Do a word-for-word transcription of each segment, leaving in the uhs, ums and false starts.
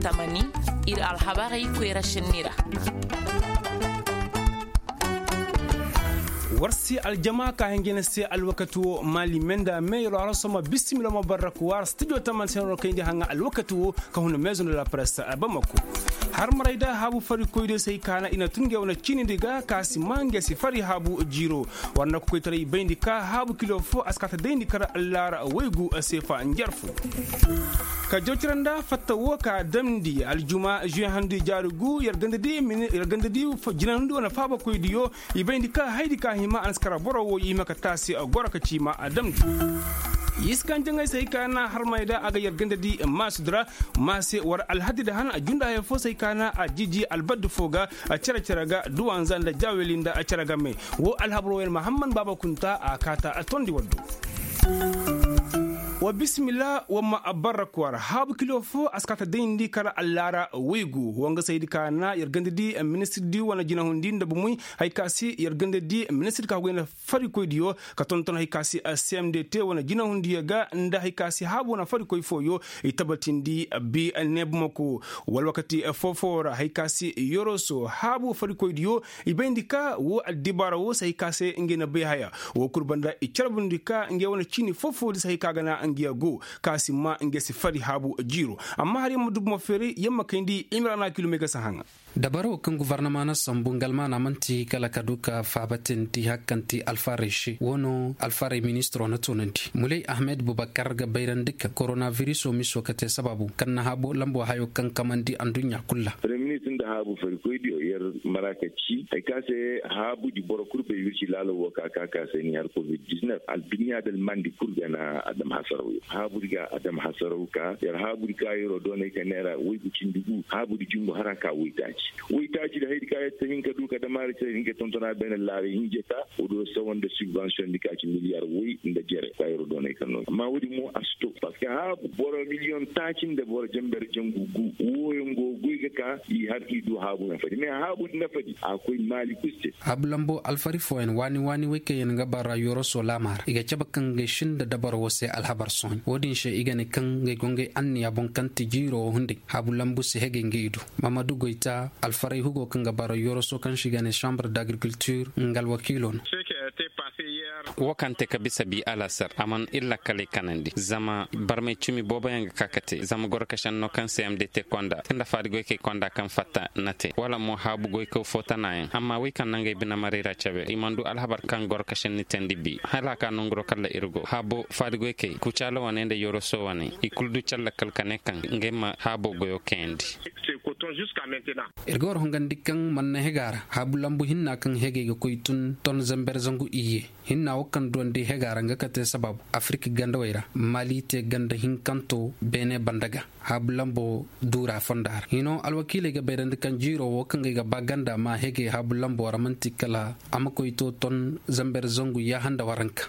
Tamani, ir alhabarey koyra šenni ra. War se aljama ka hinjina se alwakati wo maali menda me yero har soma bisimila ma barrak war studio taman se no kayndi haŋa alwakati wo ka huna meezo nda la presse bamako. Har maray da haabu farikoy de se hay ka na i na tun ga wane ciini di ga ka si ma nga si fari haabu jiiro. War na kokoytaray bayndi ka haabu kilo fo a si ka ta dayndi kar allaara waygu seefa njarfu. Ka jawcira nda fatta wo ka damndi aljuma juwe handu jaari gu yer ganda di jinahundu wane faabakoydiyo. I bayndi ka haydi ka hima a na si kara boro wo i hima ka taasi goro ka ci ma a damndi. Iskan jaŋay se hay ka na harmay da a ga yer ganda di maasudi ra. Maase war alhaddi da han a junda haya fo se hay ka na a jiji albaddu fo ga. Cere-cere ga duwanza nda jaweli nda cere game. Wo alhabar wo yer mahamman baaba kunta a kaata a tondi waddu. Wa bisimila wa ma barra kwara haabu kilo fo a si kaata dayndi kala allaara waygu wanga saydi ka na yer ganda di ministir di wane jinahundi nda bumuy. Hay ka si yer ganda di ministir ka goyna farikoydiyo ka tonton hay ka si cmdt wane jinahundiyo ga nda hay ka si haabu wane farikoy fooyo. I tabatindi bi neebumako wala wakati foofo ra hay ka si yoroso haabu farikoydiyo. I bayndi ka wo addibaara wo se hay ka se ngey na bay haya. Wo kul banda i carbundi ka ngey wane ciini foofo di se hay ka ga na ngey go ka si ma ngey si fari haabu jiiro. Amma har yer ma dubu ma feeray yer ma kayndi imrana kilomey ga si haŋa. Dabaro kaŋ guvarnama na sambu nga almaana man'ti kala ka du ka faabatindi hari kaŋ ti alfarey se wo no alfarey ministiro na toonandi muley ahmed bubakar ga bayrandi kaŋ koronabiriso miso ka te sababu kaŋ na haabu lambo hayo kaŋ kamandi adduɲɲa kul ra. Premier ministir nda haabu farikoydiyo yer mara ka ci hari kaŋ se haabudi boro kul bay wirci laalo wo ka ka ka se ni har covid-19 alduɲɲa da almandi kul ga na a dam hasaraw yo haabudi ga a dam hasaraw ka yer haabudi ka yeroo doonay ka neera waygu cindi gu haabudi jungu hara ka waytaaci. Waytaaci da haydi ka yer ta hin ka du ka dam a ra cere hin ka tontona beene laaray hinjeta. Woodiyo sawa nda subvention di ka ci miliyar way nda jere ka yeroo doonay ka no amma woodi mo a si to parceque haabu boro miliyon taaci nda boro jamber jangu gu wooyo ngo goy ga ka i har i du haabu nafadi mais haabu nafadi a koy maali kul se. Haabu lambo alfari fooyaŋ waani waani wey kaŋ yaŋ ga bara yoroso laama ra i ga cabe kaŋ ngey sinda dabaro wo se alhabar sohõ wo-din se i ga ne kaŋ ngey go ngey anniya boŋ kaŋ ti jiiro wo hunday haabu lambu si hegey ngey du. Mamadu goyta alfaray hugo kaŋ ga bara yoroso kaŋ se i ga ne sambre d'agriculture nga alwakiilo no. Wo kaŋ te ka bisa bi alasar a mana ir lakkaley kanandi zama barmay cimi booboyaŋ ga ka ka te zama goro ka senno kaŋ se m d te konda te nda faadi goykey konda kaŋ fatta na te wala mo haabu goykaw fo tanayaŋ amma wey kaŋ na ngey binamaray ra cabe i mana du alhabar kaŋ goro ka senni teendi bi hala a ka nonguro kala ir go haabo faadi goykey kucaala wane nda yoroso wane i kulu du calla kala ka ne kaŋ ngey ma haabo goyo kayandi. Ir ga war hongandi kaŋ mana na hega ra haabu lambu hinna kaŋ hegey ga koy tun ton zamber zangu iyye. Hinna wo kaŋ duwandi hega ra nga kate sababu afirika gandawey ra mali te ganda hinkanto beene banda ga haabu lambo duura fonda ra hino alwakiiley ga bayrandi kaŋ jiiro wo kaŋ ga ay ga ba ganda ma hegey haabu lambo ra man'ti kala a ma koy to ton zamber zangu yaahanda waranka.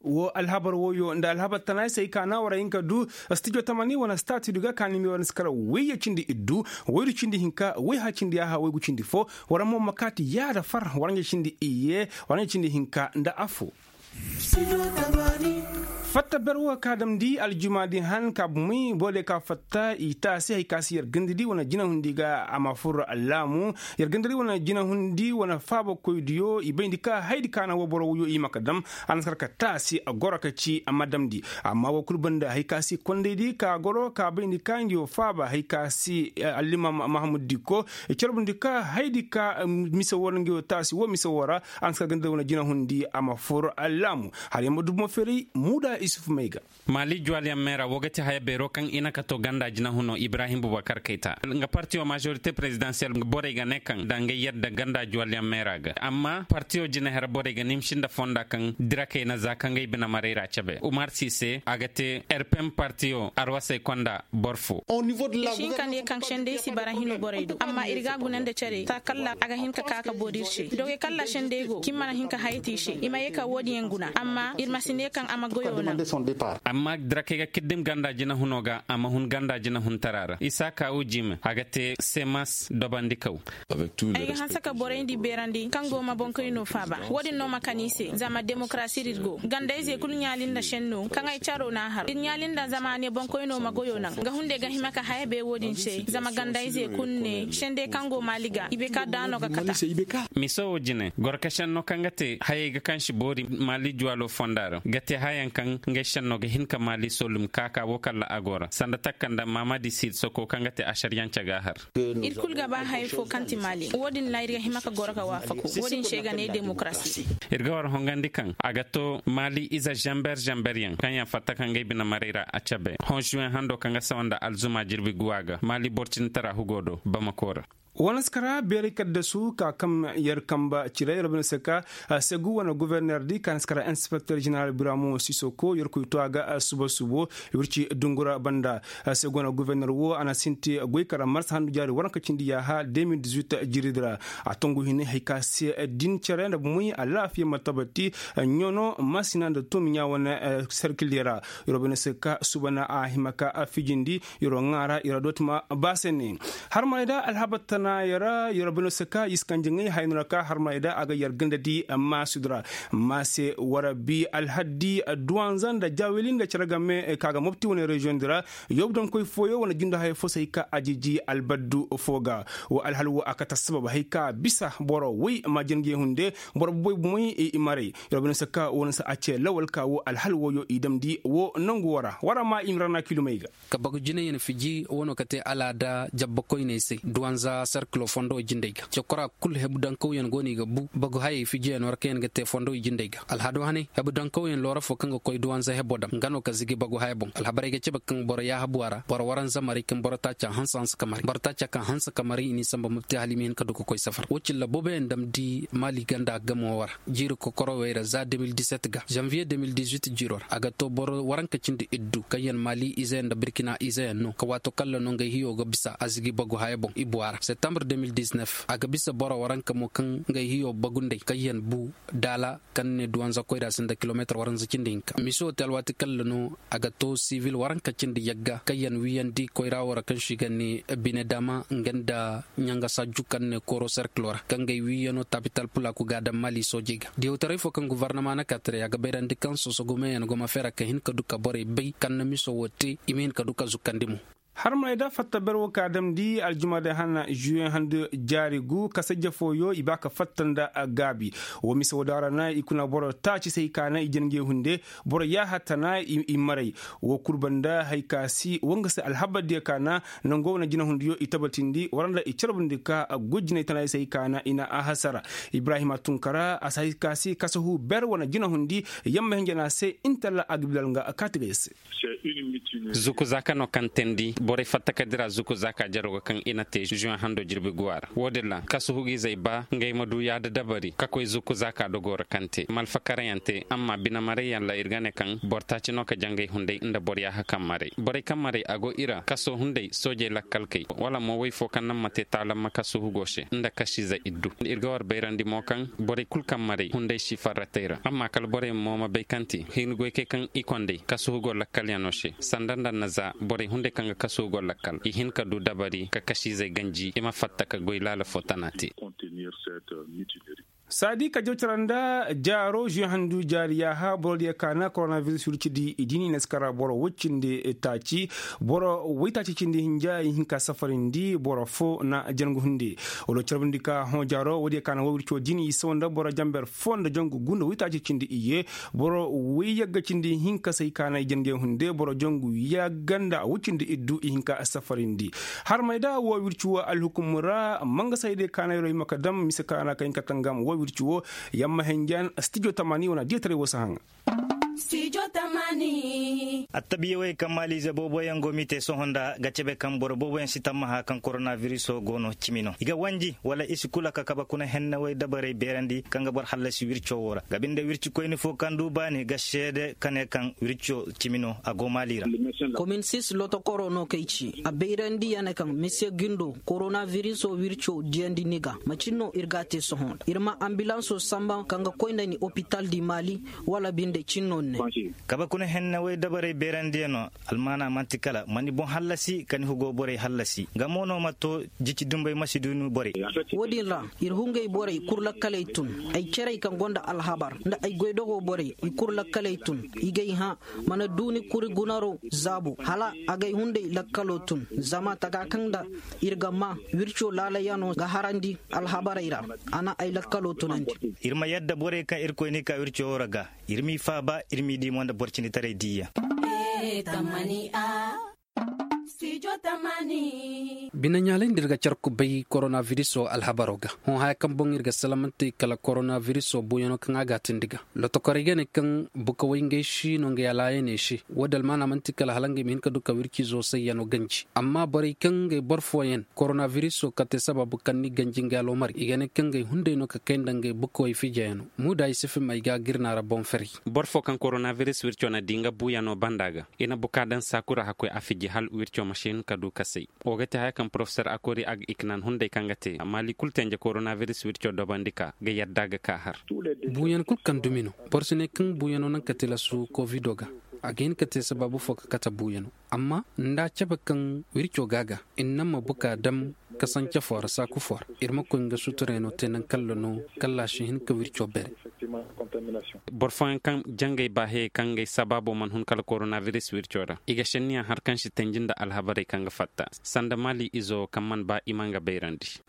Wo alhabar woyo nda alhabar tana ay se ay ka na war a hin ka du studio tamani wane stati du ga ka ni me war ni si kala wayye cindi iddu waydu cindi hinka wayha cindi yaaha waygu cindi fo. War mo ma kaati yaada far war nga cindi iyye war nga cindi hinka nda afo. Fatta ber wo ka damndi aljuma di han ka bumey boro diyo ka fatta i taasi hari ka si yer gandadi wane jinahundi ga a ma fur allaamu. Yer gandadi wane jinahundi wane faabakoydiyo i bayndi ka haydi ka na wo boro woyo i ma ka dam. A na si kar ka taasi goro ka ci a ma damndi. Amma wo kul banda hari ka si kondaydi ka goro ka bayndi ka ngi wo faaba hari ka si allimam mahamud dikko. I carbundi ka haydi ka mise wo ra ngi wo taasi wo mise wo ra. A na si kar gandadi wane jinahundi a ma fur allaamu. Har yer ma dubu ma feeray muuda isuf may ga. Maali juwalyaŋ meera wo ga ti haya beero kaŋ i na ka to ganda jinahuno ibrahim bubakar kayta nga partiyo majorite prezidansiyel borey ga ne kaŋ da nga yadda ganda juwalyaŋ meera ga amma partiyo jinaher borey ga nimsi nda fonda kaŋ dirakey na za ka ngey bine marey ra cabe umar si se a ga te rpm partiyo arwasey konda boro fo. Ihinka ne kaŋ sendey si bara hino borey do amma ir ga a guna nda care ta kalla a ga hin ka ka ka boori ir se dogey kalla sendey go kaŋ i mana hin ka haya te i se i ma ye ka wo- din yaŋ guna. Amma ir ma si ne kaŋ a ma goyo naŋ. Amma dira kaŋ ay ga kiddim ganda jinahuno ga a ma hun ganda jinahuntara ra isa ka wujime a ga te semas dobandikaw. Ay ga hanse ka borey ndi beerandi kaŋ go ma boŋkoyno faaba. Wo-din no ma kan i se zama demokarasi ra ir go gandayze kulu ɲaali nda šenno kaŋ ay caro n'a har ir ɲaali nda zama a ne boŋkoyno ma goyo naŋ nga hunde ga hima ka haya be wo-din se zama gandayze kulu ne šende kaŋ go maali ga i be ka daano ga kata. Miso wo jine gorkasen no kaŋ ga te hayey ga kaŋ si boori maali juwalo fonda ra ga te hayaŋ kaŋ ngey senno ga hin ka maali solum kaaka wo kalla a go ra sanda takka nda maamadi siid soko kaŋ ga te asariyance ga a har. Ir kulu ga ba haya fo kaŋ ti maali wo-din ra ir ga hima ka goro ga waafaku wo-din se ga ne demokarasi. Ir ga war hongandi kaŋ a ga to maali ize zamber zamberyaŋ kaŋ yaŋ fatta kaŋ ngey bine maray ra a cabe hõ zuwen hando kaŋ ga sawa nda alzuma jirbi guwa ga maali borcinitara hugo do bamako ra. Wane si kara beeray kaddasu ka kaŋ yer kamba cire yer bine se ka segu wane goforner di ka na si kara inspekter jeneral biramo sisoko yer koy to a ga suba subo wirci dungura banda. Segu wane goforner wo a na sinti goy kara marsa handu jaari waranka cindi yaaha de mil dix-huit jiri di ra. A tongu hine hay ka se din cere nda bumey alaafiya ma tabati ɲono masina nda tomiɲa wane serkil di ra. Yer bine se ka suba na a hima ka fijindi yer ŋaara yer dooti ma ba se ne. Harmay da alhabar tana yara yer bino se ka i si kanji ŋay hayno ra ka harmay da a ga yer ganda di maasudi ra. Maase wara bi alhaddi duwanza nda jawili nda cere game ka ga mopti wane reziyoŋ di ra. Yobdankoy fooyo wane jindo haya fo se hay ka a jiji albaddu fo ga. Wo alhal wo a kate assabab hay ka bisa boro woy ma jin ga i hunde. Boro boboy bumey i maray. Yer bino se ka wo na se a ce lawal ka wo alhal wooyo i damndi wo nangu wo ra wara ma i ma ra na kilumey ga. Ka bagu jinayyaŋ fiji wano ka te alaada jabba koyney se duwanza serkilo fondo jindey ga cokora kul hebu dankawyaŋ go no i ga bu bagu hayey fijiyaŋ war kaŋ yaŋ ga te fondo jindey ga alhado haney hebu dankawyaŋ loora fo kaŋ ga koy duwanza hebo dam nga no ka zigi bagu haya boŋ alhabarey ga cabe kaŋ boro yaahabu a ra boro waranza maray kaŋ boro taaca hanse hanse ka maray boro taaca kaŋ hanse ka maray i n'i samba mabte hala i ma hin ka du ka koy safar wo cilla booboyaŋ damndi maali ganda gamo war jiiri kokorowey ra za deux mille dix-sept ga zanviye deux mille dix-huit jiiro ra a ga to boro waranka cindi iddu kaŋ yaŋ maali izeyaŋ nda birkina izeyaŋ no ka waato kalla no ngey hiyo ga bisa a zigi bagu haya boŋ ibu a ra septembre deux mille dix-neuf a ga bisa boro waranka mo kaŋ ngey hiyo bagundey kaŋ yaŋ bu daala kaŋ ne duwanza koyra sinda kilomeetir waranza cindi hinka miso te alwaati kalla no a ga to sivil waranka cindi yagga kaŋ yaŋ wiyandi koyra wo ra kaŋ se i ga ne bine daama nga nda ɲanga saaju kaŋ ne kooro serkilo ra kaŋ ga ay wiiyano tabital pulaaku ga a daŋ maali soojey ga diyawtaray fo kaŋ guvarnama na ka tiray a ga bayrandi kaŋ sosogumeyaŋ go ma feera ka hin ka du ka borey bay kaŋ na miso wo te i ma hin ka du ka zukkandi mo. Harmey da fatta ber wo ka damndi aljuma day hana zuwe handu jaari gu kasajja fooyo i ba ka fatta nda gaabi. Wo mise wo daara na i kuna boro taaci se hay ka na i jin ngey hunde boro yaaha tana i maray. Wo kul banda hay ka si wo nga se alhabar diya ka na nango wane jinahundiyo i tabatindi wara nda i carbundi ka gujinay tana i se hay ka na i na a hasara. Ibrahima tunkara a si hay ka si kasahu ber wane jinahundi yamma hinja na se intalla a ga bilal nga kaati ga i se. Zuku zaaka no kaŋ teendi borey fatta ka dira zuku zaaka jaro ga kaŋ i na te zuwe hando jirbi guwa ra wo- din ra kasahu ga izey ba ngey ma du yaada dabari ka koy zuku zaaka dogo ra kaŋ te malfakarayaŋ te amma bine marayyaŋ ra ir ga ne kaŋ boro taaci no ka jangay hunday nda boro yaaha kaŋ maray borey kaŋ maray a go i ra kaso hunday soojey lakkalkey wala mo woy fo kaŋ naŋ ma te taalamma kaso hugo se nda kasiize iddu ir ga war bayrandi mo kaŋ borey kul kaŋ maray hunday si farratey ra amma kala borey mo ma bay kaŋ te hin goykey kaŋ i konday kaso hugo lakkalyaŋo se sanda nda na za borey hunday kaŋ ga kaso hugo lakkal i hin ka du dabari ka kasiizey ganji i ma fatta ka goy laala fo tana te. Saadi ka jawcara nda jaaro zuwe handu jaari yaaha boro diya ka na koronavirus wirci di i diini na si kara boro woy cindi taaci boro woy taaci cindi hinja i hin ka safarindi boro fo na jangu hunde. Wala carbundi ka hõ jaaro wo diya ka na woy wirco diini i sawa nda boro jamber fo nda jangu gu nda woy taaci cindi iyye boro woy yagga cindi hinka se i ka na i jangu hunde boro jangu yagga nda woy cindi iddu i hinka safarindi. Harmey da wo wirci wo alhukum ra mangasayde kaanayro i ma ka dam mise kaana ka hin ka tangam wo wirci wo yamma henjan stijo tamani wana diyataray wo si haŋa. Stijo Attabiyawey kaŋ maaliize booboyaŋ go m'i te sohõ nda ga cebe kaŋ boro booboyaŋ si tammaha kaŋ koronabiriso go no cimi no i ga wanji wala i si kula ka kabe kuna hennawey dabarey beerandi kaŋ ga boro hallasi wirco wo ra ga binde wircikoyni fo kaŋ du baani ga seede ka ne kaŋ wirco cimi no a go maali ra. Komin sis lotokoro no kay ci a bayrandi ya ne kaŋ misiye gindo koronabiriso wirco diyandi ni ga macin no ir ga a te sohõ nda ir ma ambilanso samba kaŋ ga koy nda ni opital di maali wala binde cin no ni ne. Kabe kuna henne woy dabarey beerandiyaŋo almaana man'ti kala ma ni boŋ hallasi ka ni hugo borey hallasi nga mo no ma to jici dumbey ma si du ni borey. Wo-din ra ir hungay borey kul lakkaley tun ay cerey kaŋ gonda alhabar nda ay goydogo borey i kul lakkaley tun i gay hã mana du ni kuri gunaro zaabo hala a gay hunday lakkalo tun zama taga kaŋ nda ir ga maa wirco laalayano ga harandi alhabarey ra a na ay lakkalo tunandi. Ir ma yadda borey kaŋ irkoy n'i ka wirco wo ra ga ir m'i faaba ir m'i di mo nda boro cinditaray diiyaŋ. Binaɲaalay nda ir ga car kubay koronabiriso alhabaro ga hõ haya kaŋ boŋ ir ga salamante kala koronabiriso buuyano kaŋ a ga a tindi ga lotokorey ga ne kaŋ bukawey ngey si no ngey alaayaney se wo-din almaana man'ti kala hala ngey ma hin ka du ka wircizo sayyano ganji amma borey kaŋ ngey boro fooyaŋ koronabiriso kate sababu kaŋ ni ganji ngey aloomar i ga ne kaŋ ngey hunday no ka kay nda ngey bukawey fijayano muuda i si fim ay ga gir naara boŋ ferey. Boro fo kaŋ koronabiris wirco na di nga buuyano banda ga i na buka daŋ saakura hakkoy a fiji hala wirco ma si hin ka du ka say. Wo ga te haya kaŋ porofesor akori ag iknan hunday kaŋ ga te maali kul tenje koronabiris wirco dobandi ka ga yadda ga ka har. Buuyan kul kaŋ dumi no boro si ne kaŋ buuyano naŋ ka tilasu kovido ga a ga hin ka te sabaabu fo ka kate buuyano amma nda a cabe kaŋ wirco ga a ga i na naŋ ma buka dam kasance fo ra saaku fo ra ir ma koy nga suturayno te naŋ kalla no kalla a si hin ka wirco bere. Boro fooyaŋ kaŋ jangey ba heyey kaŋ ngey sabaabo mana hun kala koronabiris wirco ra i ga senniyaŋ har kaŋ si tanji nda alhabarey kaŋ ga fatta sanda maali izo kaŋ mana ba i ma nga bayrandi.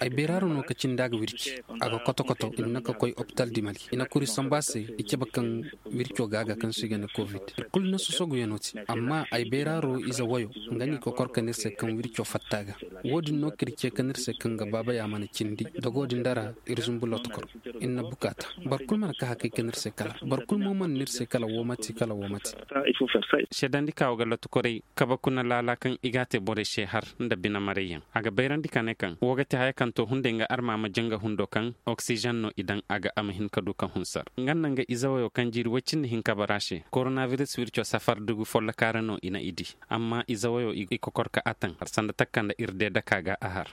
Ay bayraaro no ka cindi a ga wirci a ga koto-koto i na ka koy opital di mali i na kuri samba se i cabe kaŋ wirco ga a ga kaŋ se i ga ne kovid. Kulu na sosoguyanoo te amma ay bayraaro ize woyo nga no i kokor ka ne ir se kaŋ wirco fatta ga. Wo-din no ka ir ce ka ne ir se kaŋ ga baabaya mana cindi dogo din dara ir zumbu lotokor. Ir na bukaata boro kulu mana ka hakay ka ne ir se kala boro kulu mo mana ne ir se kala woo mate kala woo mate. Seedandi ka wo ga lotokorey kabe kuna laala kaŋ i ga a te borey se har nda bine marayyaŋ a ga bayrandi ka ne kaŋ wo ga te haya kaŋ to hunday nga arma ma janga hundo kaŋ oksizen no i daŋ a ga a ma hin ka du ka hunsar nga nda nga ize woyo kaŋ jiiri woy cindi hinka bara se koronabiris wirco safar dugu folloka ra no i na i di. Amma ize woyo i kokor ka a taŋ har sanda takka nda ir de daka ga a har.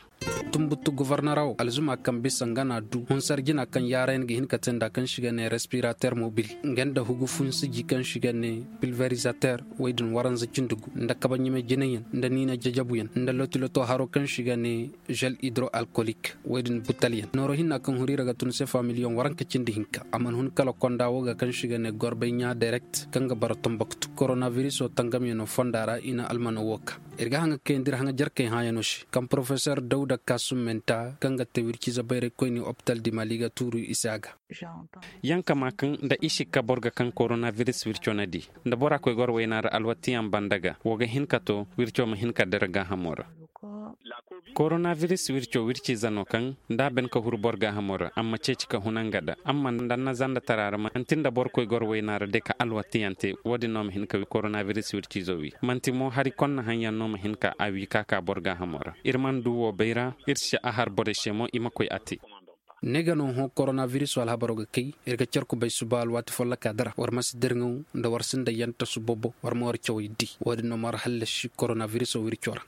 Tunbutu gofornora wo alzuma kaŋ bisa nga na a du hunsar jina kaŋ yaarayaŋ ga hin ka te nda kaŋ si ga ne respirater mobil nga nda hugu funsiji kaŋ si ga ne pilverizater woy din waranza cindi gu nda kabaɲame jinayaŋ nda niina jajabuyaŋ nda lotiloto haro kaŋ si ga ne zel hidro alkolik woy din butalyaŋ nooro hinna kaŋ huri ra ga tun sefa miliyoŋ waranka cindi hinka a mana hun kala konda wo ga kaŋ si ga ne gorbey ɲaa derekt kaŋ ga bara tomboktu koronabiriso tangamyaŋo fonda ra i na almano wo ka. Ir ga haŋa kayandi ir haŋa jarkey hãayaŋo se kaŋ porofesor dawda kaasum menta kaŋ ga te wircize bayraykoyni opital di mali ga tuuru i se a ga. Yaŋ kama kaŋ nda i sikka boro ga kaŋ koronabiris wirco na di nda bora koy goro wayna ra alwatiyaŋ banda ga wo ga hin ka to wirco ma hin ka dira gaahamo ra. Koronabiris wirco wirciize no kaŋ nda a ben ka huru boro gaahamo ra amma ceeci ka huna nga da amma nda annazanda tara ra manti nda boro koy goro wayna ra day ka alwatiyaŋ te wo-din no ma hin ka koronabiris wirciizo wi manti mo hari konna haŋyaŋ no ma hin ka a wi ka ka boro gaahamo ra. Ir mana du wo bay ra ir si a har borey se mo i ma koy a te. Ne ga no hõ koronabiriso alhabaro ga kay ir ga car kubay suba alwaati folloka dara war ma si dirŋaw nda war sinda yanta subobo war ma war cawey di wo-din no ma war hallasi koronabiriso wirco ra.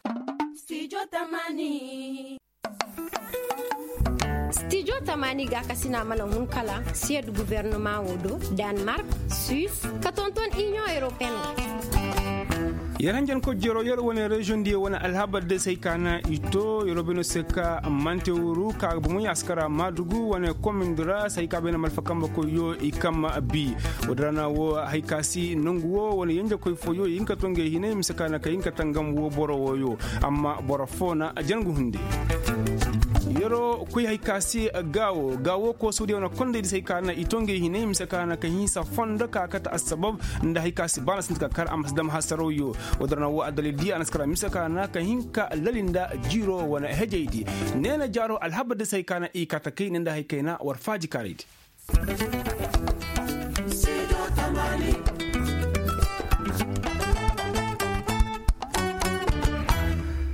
Stijo tamaani gaakasina mana hun kala siyed guvernoma wo do, danmark, suis, ka tonton inion europeen. Yer hanjanko jero yer wane reziyoŋ diyo wane alhabar de se hay ka na i to yeroo beeno se ka mante wuru ka ga bomoy askara maadugu wane komin di ra se hay ka beene malfa kambe koyyo i kamma bi. Woo din ra na woo hay ka si nongu woo wane yenjekoy fooyo i hin ka to ngey hinay mise ka na ka hin ka tangam woo boro wooyo. Amma boro foo na jangu hunde. Yeroo koy hay ka si gaawo gaawo koosudiyo na kondey di se hay ka na i to ngey hinay mise ka na ka hinsa fondo ka kate assabab nda hay ka si ba na sinti ka kar a ma si dam hasarawyo. Woo din ra na woo addalil di a na si kar a mise ka na ka hin ka lali nda jiiro wane hejey di. Neena jaaro alhabar di se hay ka na i kate kay ne nda hay kayna war faaji kaarey di.